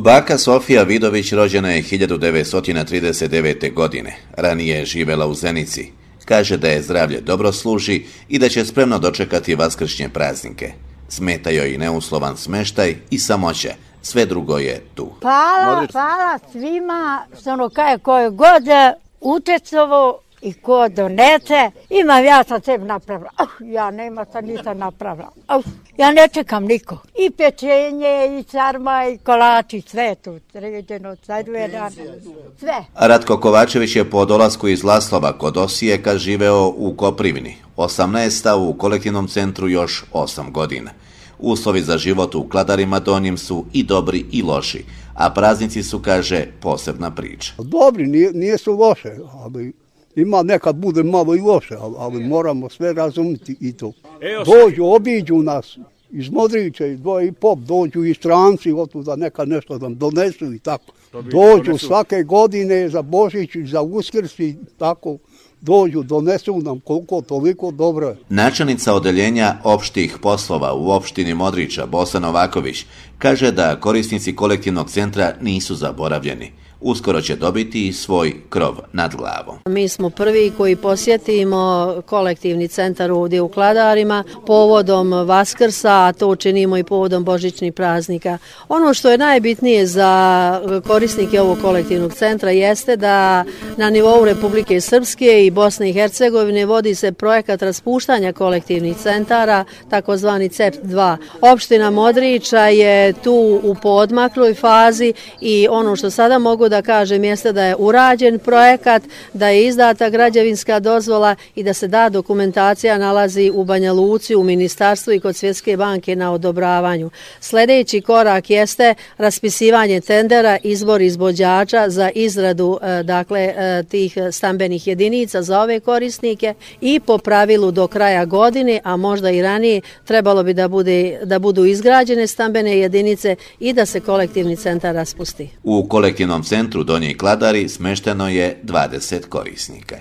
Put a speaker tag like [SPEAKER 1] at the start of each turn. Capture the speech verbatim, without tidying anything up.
[SPEAKER 1] Baka Sofija Vidović rođena je hiljadu devetsto trideset devete. godine. Ranije je živela u Zenici. Kaže da je zdravlje dobro služi i da će spremno dočekati vaskršnje praznike. Smeta joj i neuslovan smeštaj i samoća. Sve drugo je tu.
[SPEAKER 2] Hvala, hvala svima što ono kaje koje god utjecovo i ko donese. Imam ja sam sebi napravila. Uh, ja nema sam nisam napravila. Uh, ja ne čekam niko. I pečenje, i sarma, i kolači, sve tu sređeno, sadvjeran, sve.
[SPEAKER 1] Ratko Kovačević je po dolasku iz Laslova kod Osijeka živeo u Koprivni. osamnaesta u kolektivnom centru još osam godina. Uslovi za život u Kladarima Donjim su i dobri i loši, a praznici su, kaže, posebna priča.
[SPEAKER 3] Dobri, nije, nije su loše, ali ima nekad bude malo i loše, ali, ali moramo sve razumjeti i to. Dođu, obiđu nas iz Modrića, iz dvoje i pop, dođu i stranci, otuda nekad nešto nam donesu i tako. Dođu svake godine za Božić i za Uskrs i tako. Dođu, donesu nam koliko, toliko dobro.
[SPEAKER 1] Načelnica odeljenja opštih poslova u opštini Modrića, Bosa Novaković, kaže da korisnici kolektivnog centra nisu zaboravljeni. Uskoro će dobiti svoj krov nad glavom.
[SPEAKER 4] Mi smo prvi koji posjetimo kolektivni centar ovdje u Kladarima povodom Vaskrsa, a to činimo i povodom božićnih praznika. Ono što je najbitnije za korisnike ovog kolektivnog centra jeste da na nivou Republike Srpske i Bosne i Hercegovine vodi se projekat raspuštanja kolektivnih centara, takozvani C E P dva. Opština Modrića je tu u poodmakloj fazi i ono što sada mogu da kažem jeste da je urađen projekat, da je izdata građevinska dozvola i da se da dokumentacija nalazi u Banja Luci, u ministarstvu i kod Svjetske banke na odobravanju. Sljedeći korak jeste raspisivanje tendera, izbor izvođača za izradu dakle tih stambenih jedinica za ove korisnike i po pravilu do kraja godine, a možda i ranije, trebalo bi da bude da budu izgrađene stambene jedinice i da se kolektivni centar raspusti.
[SPEAKER 1] U kolektivnom centru Donji Kladari smešteno je dvadeset korisnika.